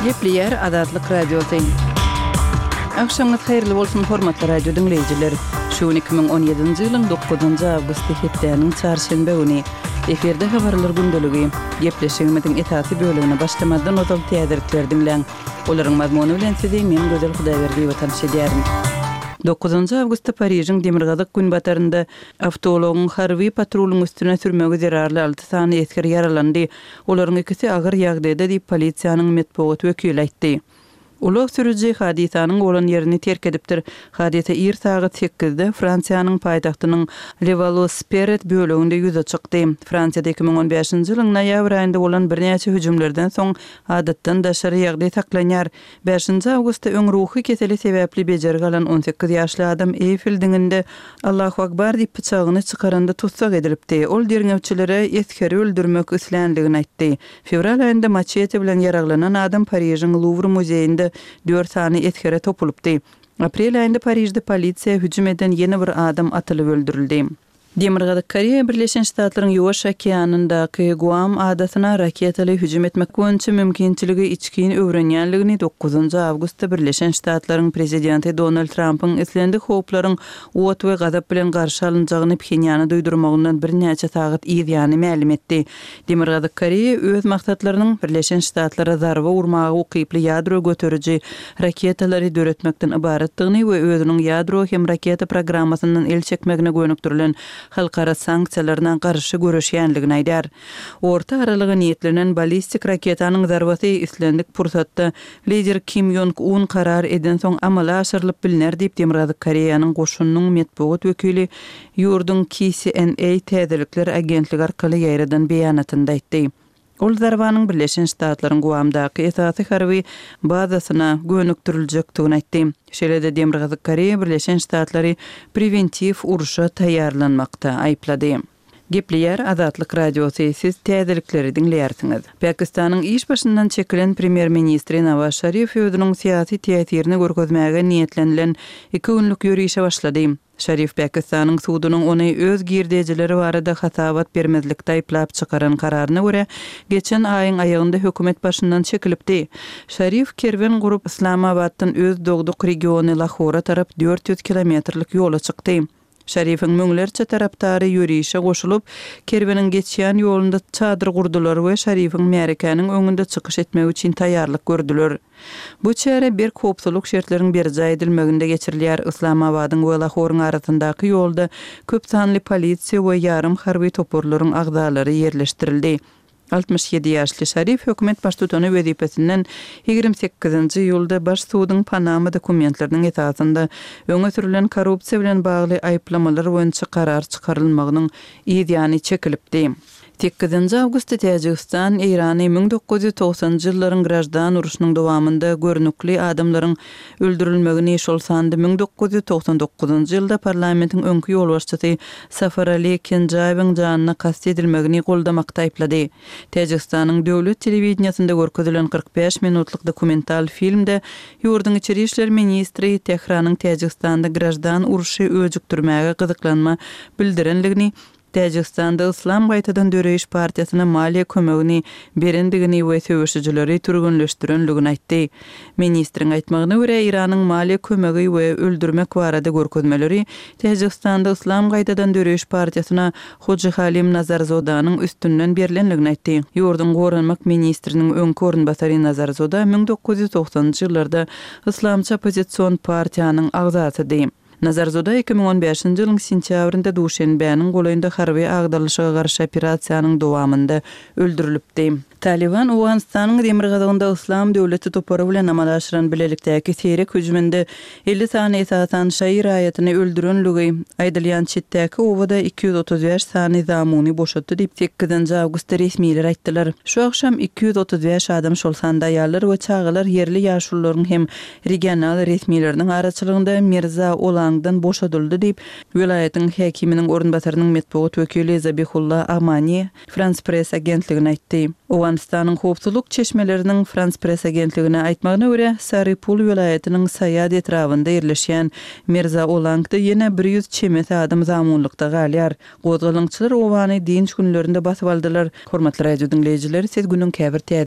Gepleýär Azatlyk Radiosy. Agşamyňyz haýyrly bolsun, hormatly radio diňleýjiler! Şu gün 2017-nji ýylyň dokuzynjy awgusty hepdäniň çarşenbe güni. Efirde habarlar gündeligi. Gepleşigimiziň esasy bölegine başlamazdan ozal täzelikleri diňläň. Olaryň mazmuny bilen sizi men Gözel Hudaýberdiýewa tanyş edýärin. Dokuzynjy awgustda Parižiň demirgazyk-günbatarynda awtoulagyň harby patrulyň üstüne sürmegi zerarly alty sany esger ýaralandy. Olaryň ikisi agyr ýagdaýda diýip, polisiýanyň metbugat wekili aýtdy. Ulag sürüji hadysanyň bolan ýerini terk edipdir. Hadysa ir sagat sekizde Fransiýanyň paýtagtynyň Levallois-Perret böleginde ýüze çykdy. Fransiýada 2015-nji ýylyň noýabr aýynda bolan birnäçe hüjümlerden soň adatdan daşary ýagdaý saklanýar. Bäşinji awgustda öň ruhy keseli sebäpli bejergi alan 18 ýaşly adam Eýfel diňinde Allahu Akbar diýip pyçagyny çykaranda tussag edilipdi. Ol derňewçilere esgeri öldürmek isländigini aýtdy. Fewral aýynda maçete bilen ýaraglanan adam Parižiň Luwr muzeýinde dört sany esgere topulypdy. Aprel aýynda Parižde polisiýa hüjüm eden ýene bir adam atylyp öldürildi. Demirgazyk Koreýa Birleşen Ştatlaryň Ýuwaş okeanyndaky Guam adasyna raketaly hüjüm etmek boýunça mümkinçiligi içgin öwrenýänligini dokuzynjy awgustda Birleşen Ştatlaryň Prezidenti Donald Trampyň islendik howplaryň ot we gazap bilen garşy alynjagyny Phenýana duýdurmagyndan birnäçe sagat yz ýany mälim etdi. Demirgazyk Koreýa öz maksatlarynyň Birleşen Ştatlara zarba urmaga ukyply ýadro göteriji raketalary döretmekden ybaratdygyny we özüniň ýadro hem raketa programmasyndan el çekmegine gönükdirilen halkara sanksiýalaryna garşy göreşýänligini aýdýar. Orta aralyga niýetlenen ballistik raketanyň zarbasy islendik pursatda lider Kim Ýong Un karar edensoň amala aşyrylyp bilner diýip, Demirgazyk Koreýanyň goşunynyň metbugat wekili Ýurduň KCNA täzelikler agentligi arkaly ýaýradan beýanatynda aýtdy. Ol zarbanyň Birleşen Ştatlaryň Guamdaky esasy harby bazasyna gönükdiriljekdigini aýtdy. Şeýle-de Demirgazyk Koreýa Birleşen Ştatlary prewentiw urşa taýýarlanmakda aýyplady. Gepleýär Azatlyk Radiosy, siz täzelikleri diňleýärsiňiz. Pakistanyň iş başyndan çekilen premýer-ministri Nawaz Şarif özüniň syýasy täsirini görkezmäge niýetlenilen iki günlük ýörişe başlady. Şarif Pakistanyň sudunyň ony öz girdejileri barada hasabat bermezlikde aýyplap çykaran kararyna görä, geçen aýyň aýagynda hökümet başyndan çekilipdi. Şarif kerwen gurup, Yslamabatdan öz dogduk regiony Lahora tarap 400 kilometrlik ýola çykdy. Şarifiň müňlerçe tarapdary ýörişe goşulyp, kerweniň geçýän ýolunda çadyr gurdular we Şarifiň märekäniň öňünde çykyş etmegi üçin taýýarlyk gördüler. Bu çäre berk howpsuzlyk şertleriň berjaý edilmeginde geçirilýär. Yslamabadyň we Lahoryň arasyndaky ýolda köp sanly polisiýa we ýarym harby toparlaryň agzalary ýerleşdirildi. 67 ýaşly Şarif hökümet baştutany wezipesinden 28-nji iýulda baş suduň Panama dokumentleriniň esasynda öňe sürülen korrupsiýa bilen bagly aýyplamalar boýunça karar çykarylmagynyň yzýany çekilipdi. Sekizinji awgustda Täjigistan Eýrany 1990-njy ýyllaryň graždan urşunyň dowamynda görnükli adamlaryň öldürilmegini, şol sanda 1999-njy ýylda parlamentiň öňki ýolbaşçysy Safarali Kenjaýewiň janyna kast edilmegini goldamakda aýyplady. Täjigistanyň döwlet telewideniýesinde görkezilen 45 minutlyk dokumental filmde ýurduň içeri işler ministri Tähranyň Täjigistanda graždan urşy öjükdirmäge gyzyklanma bildirenligini Täjigistanda Yslam gaýtadan döreýiş partiýasyna maliýe kömegini berendigini we söweşijileri türgenleşdirenligini aýtdy. Ministriň aýtmagyna görä, Eýranyň maliýe kömegi we öldürmek barada görkezmeleri Täjigistanda Yslam gaýtadan döreýiş partiýasyna Hojihalim Nazarzodanyň üstünden berlenligini aýtdy. Ýurduň goranmak ministriniň öňki orunbasary Nazarzoda 1990-njy ýyllarda yslamçy oppozision partiýanyň agzasydy. Nazarzoda 2015-nji ýylyň sentýabrynda Duşenbäniň golaýynda harby agdarylyşyga garşy operasiýanyň dowamynda öldürilipdi. Talyban Owganystanyň demirgazygynda Yslam döwleti topary bilen amala aşyran bilelikdäki seýrek hüjüminde 50 sany esasan şaýy raýatyny öldürenligi aýdylýan çetdäki obada 235 sany zamuny boşatdy diýip, sekizinji awgustda resmiler aýtdylar. Şu agşam 235 adam, şol sanda aýallar we çagalar ýerli ýaşulularyň hem regional resmileriniň araçylygynda Mirza Olangdan boşadyldy diýip, welaýatyň häkiminiň orunbasarynyň metbugat wekili Zabihulla Amani Frans Press agentligine aýtdy. Owganystanyň howpsuzlyk çeşmeleriniň Frans Press agentligine aýtmagyna görä, Sary-Pul welaýatynyň Saýad etrabynda ýerleşýän Mirza Olangda ýene 100 çemesi adam zamunlykda galýar. Gozgalaňçylar obany dynç günlerinde basyp aldylar. Hormatly radio diňleýjiler, siz günüň käbir täze.